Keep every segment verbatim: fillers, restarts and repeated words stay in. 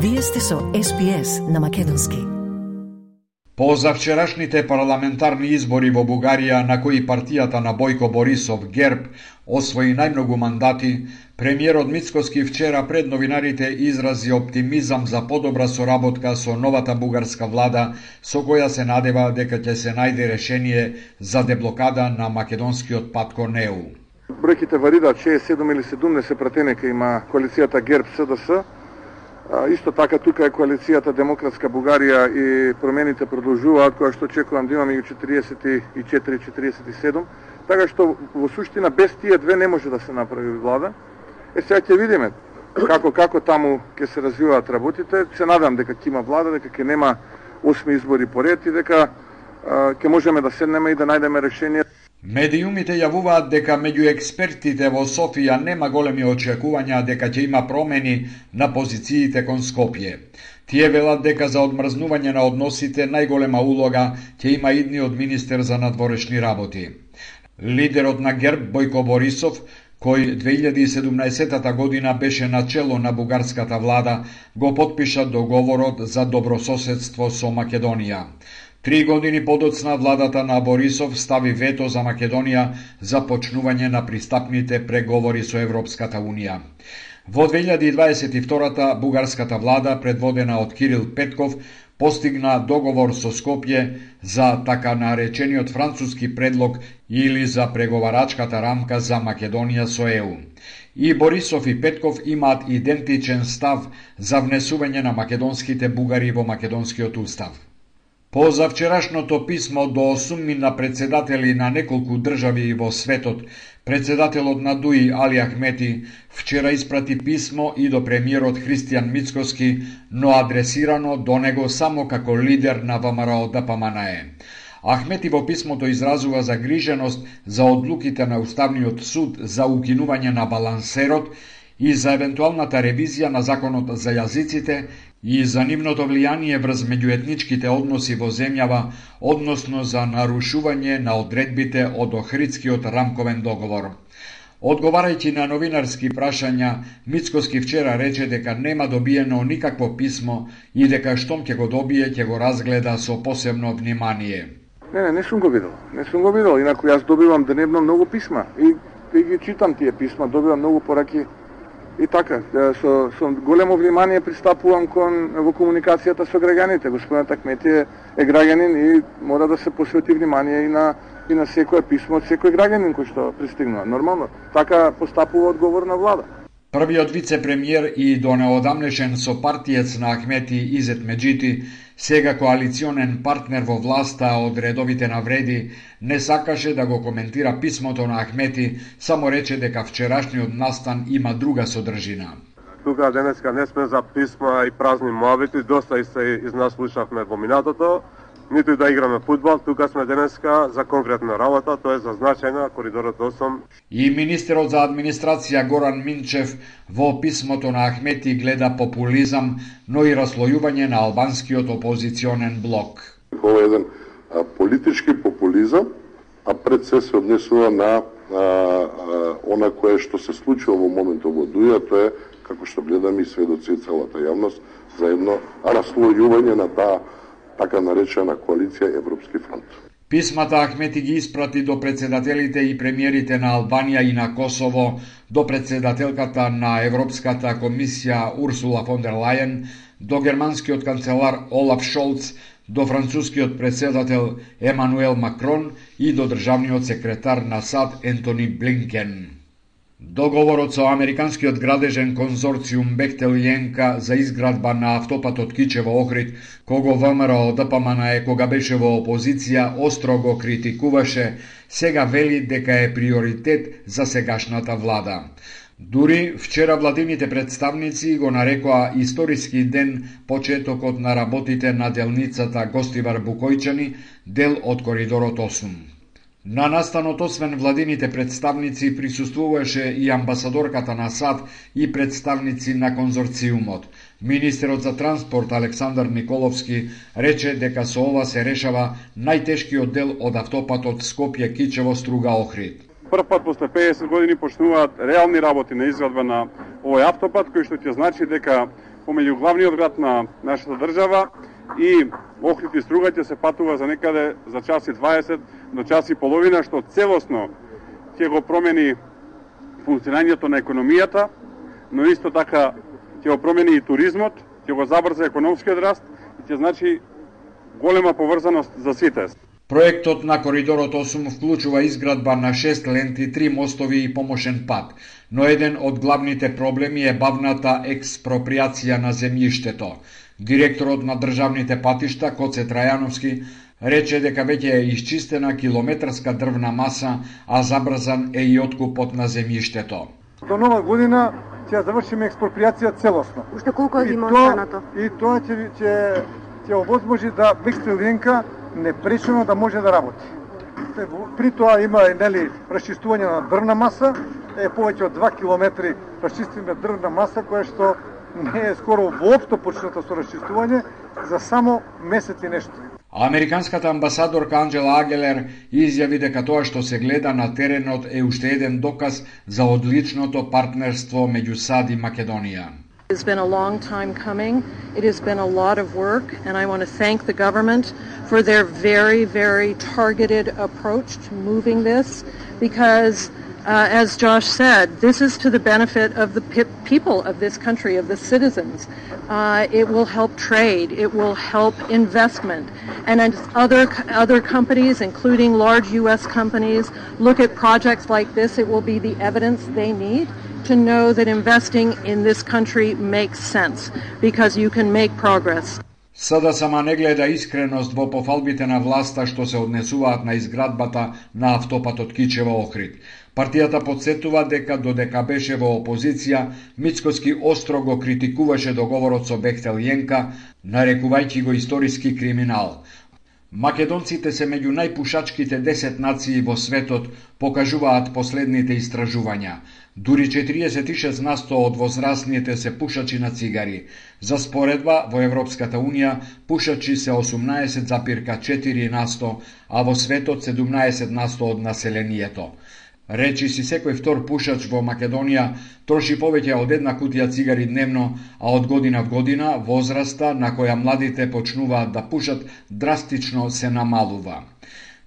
Вие сте со Ес Би Ес на македонски. По завчерашните парламентарни избори во Бугарија, на кои партијата на Бојко Борисов ГЕРБ освои најмногу мандати, премиерот Мицкоски вчера пред новинарите изрази оптимизам за подобра соработка со новата бугарска влада, со која се надева дека ќе се најде решение за деблокада на македонскиот пат кон Е У. Бројките варираат шеесет и седум или седумдесет пратенека има коалицијата ГЕРБ С Д С. Исто така тука е коалицијата Демократска Бугарија и промените продолжуваат, која што очекувам да имаме четириесет и четири четириесет и седум. Така што во суштина без тие две не може да се направи влада. Е сега ќе видиме како како таму ќе се развиваат работите. Се надам дека ќе има влада, дека ќе нема осми избори поред и дека ќе можеме да седнеме и да најдеме решение. Медиумите јавуваат дека меѓу експертите во Софија нема големи очекувања дека ќе има промени на позициите кон Скопје. Тие велат дека за одмрзнување на односите најголема улога ќе има идниот министер за надворешни работи. Лидерот на ГЕРБ Бојко Борисов, кој две илјади и седумнаесетата година беше начело на бугарската влада, го потпиша договорот за добрососедство со Македонија. Три години подоцна владата на Борисов стави вето за Македонија за почнување на пристапните преговори со Европската Унија. Во две илјади и дваесет и втората бугарската влада, предводена од Кирил Петков, постигна договор со Скопје за така наречениот француски предлог или за преговарачката рамка за Македонија со Е У. И Борисов и Петков имаат идентичен став за внесување на македонските бугари во македонскиот устав. По завчерашното писмо до осуммина председатели на неколку држави во светот, председателот на ДУИ Али Ахмети вчера испрати писмо и до премиерот Христијан Мицкоски, но адресирано до него само како лидер на Вэ Ем Р О Д П М Н Е. Ахмети во писмото изразува загриженост за одлуките на Уставниот суд за укинување на балансерот и за евентуалната ревизија на законот за јазиците и за нивното влијание врз меѓуетничките односи во земјава, односно за нарушување на одредбите од Охридскиот рамковен договор. Одговарајќи на новинарски прашања, Мицкоски вчера рече дека нема добиено никакво писмо и дека штом ќе го добие, ќе го разгледа со посебно внимание. Не, не, не сум го видел. Не сум го видел, инаку јас добивам дневно многу писма и, и ги читам тие писма, добивам многу пораки. И така, со, со големо внимание пристапувам кон во комуникацијата со граѓаните. Господинот Ахмети е, е граѓанин и мора да се посвети внимание и на и на секое писмо од секој граѓанин кој што пристигнува. Нормално, така постапува одговорна влада. Првиот вице-премиер и до неодамнешен сопартиец на Ахмети Изет Меджити, сега коалиционен партнер во власта од редовите на Вреди, не сакаше да го коментира писмото на Ахмети, само рече дека вчерашниот настан има друга содржина. Тука денеска не сме за писма и празни муабети, доста и се из нас слушавме во минатото, ниту и да играме фудбал, тука сме денеска за конкретна работа, тоа е за значајна коридорот осум. И министерот за администрација Горан Минчев во писмото на Ахмети гледа популизам, но и раслојување на албанскиот опозиционен блок. Ова е еден а, политички популизам, а пред се се однесува на а, а, она кое што се случува во моментот во Дуја, тоа е, како што гледаме и сведоци и целата јавност, за едно раслојување на таа така наречена коалиција Европски фронт. Писмата Ахмети ги испрати до председателите и премиерите на Албанија и на Косово, до председателката на Европската комисија Урсула фон дер Лајен, до германскиот канцелар Олаф Шолц, до францускиот председател Емануел Макрон и до државниот секретар на САД Ентони Блинкен. Договорот со американскиот градежен конзорциум Бехтел и Енка за изградба на автопатот Кичево-Охрид, кого Вэ Ем Р О Д П М Н Е кога беше во опозиција остро го критикуваше, сега вели дека е приоритет за сегашната влада. Дури вчера владините представници го нарекоа историски ден почетокот на работите на делницата Гостивар Букојчани, дел од коридорот осум. На настанот освен владините представници присуствуваше и амбасадорката на САД и представници на конзорциумот. Министерот за транспорт Александар Николовски рече дека со ова се решава најтешкиот дел од автопатот Скопје-Кичево-Струга-Охрид. Прв пат после педесет години почнуваат реални работи на изградба на овој автопат, кој што ќе значи дека помеѓу главниот град на нашата држава и Охрид и Струга ќе се патува за некаде за час и дваесет до час и половина, што целосно ќе го промени функционирањето на економијата, но исто така ќе го промени и туризмот, ќе го забрза економскиот раст и ќе значи голема поврзаност за сите. Проектот на Коридорот осум вклучува изградба на шест ленти, три мостови и помошен пат, но еден од главните проблеми е бавната експроприација на земјиштето. Директорот на државните патишта Коце Трајановски рече дека веќе е исчистена километарска дрвна маса, а забрзан е и откупот на земјиштето. До нова година ќе завршиме експроприација целосно. Уште колку е има останато? И тоа ќе ќе ќе овозможи да Бехтел Јенка непречено да може да работи. При тоа има нели расчистување на дрвна маса, е повеќе од два километри расчистиме дрвна маса која што не е скоро воопшто почната со расчистување за само месец и нешто. Американската амбасадорка Анджела Агелер изјави дека тоа што се гледа на теренот е уште еден доказ за одличното партнерство меѓу САД и Македонија. It has been a long time coming. It has been a lot of work, and I want to thank the government for their very, very targeted approach to moving this, because Uh, as Josh said, this is to the benefit of the pe- people of this country, of the citizens. Uh, it will help trade, it will help investment, and as other other companies, including large U S companies, look at projects like this, it will be the evidence they need to know that investing in this country makes sense, because you can make progress. Сада сама не гледа искреност во пофалбите на власта што се однесуваат на изградбата на автопатот Кичево-Охрид. Партијата подсетува дека додека беше во опозиција, Мицкоски остро го критикуваше договорот со Бехтел Јенка, нарекувајќи го историски криминал. Македонците се меѓу најпушачките десет нации во светот, покажуваат последните истражувања. Дури четириесет и шест насто од возрастните се пушачи на цигари. За споредба, во Европската Унија пушачи се осумнаесет запирка четири насто, а во светот седумнаесет насто од населението. Речи си секој втор пушач во Македонија троши повеќе од една кутија цигари дневно, а од година в година возраста на која младите почнуваат да пушат драстично се намалува.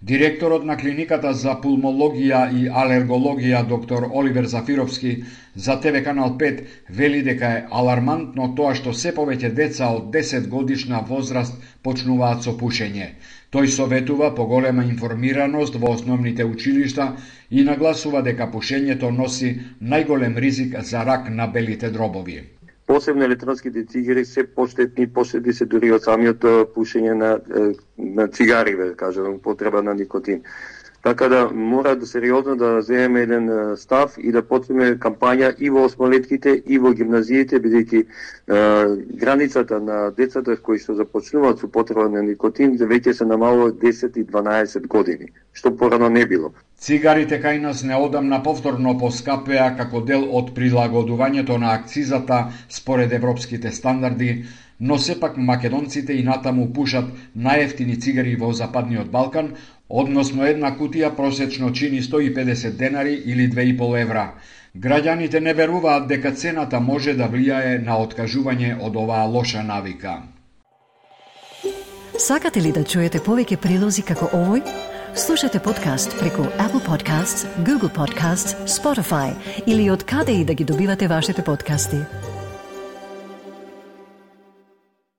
Директорот на клиниката за пулмологија и алергологија доктор Оливер Зафировски за Те Ве Канал пет вели дека е алармантно тоа што се повеќе деца од десет годишна возраст почнуваат со пушење. Тој советува поголема информираност во основните училишта и нагласува дека пушењето носи најголем ризик за рак на белите дробови. Посебно електронските цигари се поштетни, поштетни се дури од самиот пушење на, на цигари, да кажем, потреба на никотин. Така да мора да сериозно да земеме еден став и да почнеме кампања и во осмолетките и во гимназиите, бидејќи границата на децата кои што започнуваат со потреба на никотин веќе се намалува десет и дванаесет години, што порано не било. Цигарите кај нас неодамна повторно поскапеа како дел од прилагодувањето на акцизата според европските стандарди, но сепак македонците и натаму пушат најевтини цигари во Западниот Балкан, односно една кутија просечно чини сто и педесет денари или две и пол евра. Граѓаните не веруваат дека цената може да влијае на откажување од оваа лоша навика. Сакате ли да чуете повеќе прилози како овој? Слушате подкаст преку Apple Podcasts, Google Podcasts, Spotify или од каде и да ги добивате вашите подкасти.